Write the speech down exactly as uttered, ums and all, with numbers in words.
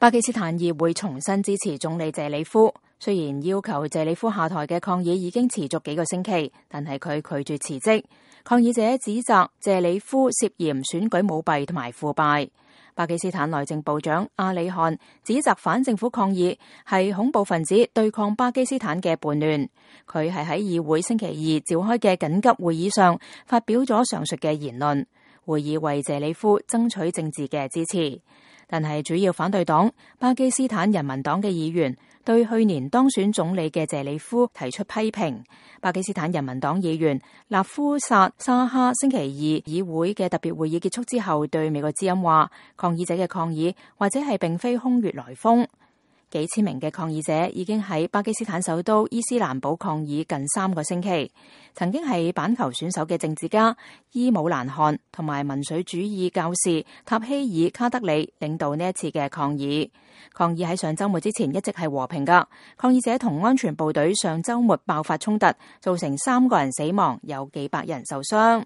巴基斯坦議會重新支持總理謝里夫，雖然要求謝里夫下台嘅抗議已經持續幾個星期，但係佢拒絕辭職。抗議者指責謝里夫涉嫌選舉舞弊同埋腐敗。巴基斯坦內政部長阿里汗指責反政府抗議係恐怖分子對抗巴基斯坦嘅叛亂。佢係喺議會星期二召開嘅緊急會議上發表咗上述嘅言論，會議為謝里夫爭取政治嘅支持。但係主要反對黨巴基斯坦人民黨嘅議員對去年當選總理嘅謝里夫提出批評。巴基斯坦人民黨議員納夫薩沙哈星期二議會嘅特別會議結束之後對美國之音話，抗議者嘅抗議或者係並非空穴來風。幾千名嘅抗議者已經喺巴基斯坦首都伊斯蘭堡抗議近三個星期。曾經係板球選手嘅政治家伊姆蘭汗同埋民粹主義教士塔希爾卡德里領導呢一次嘅抗議。抗議喺上週末之前一直係和平㗎。抗議者同安全部隊上週末爆發衝突，造成三個人死亡，有幾百人受傷。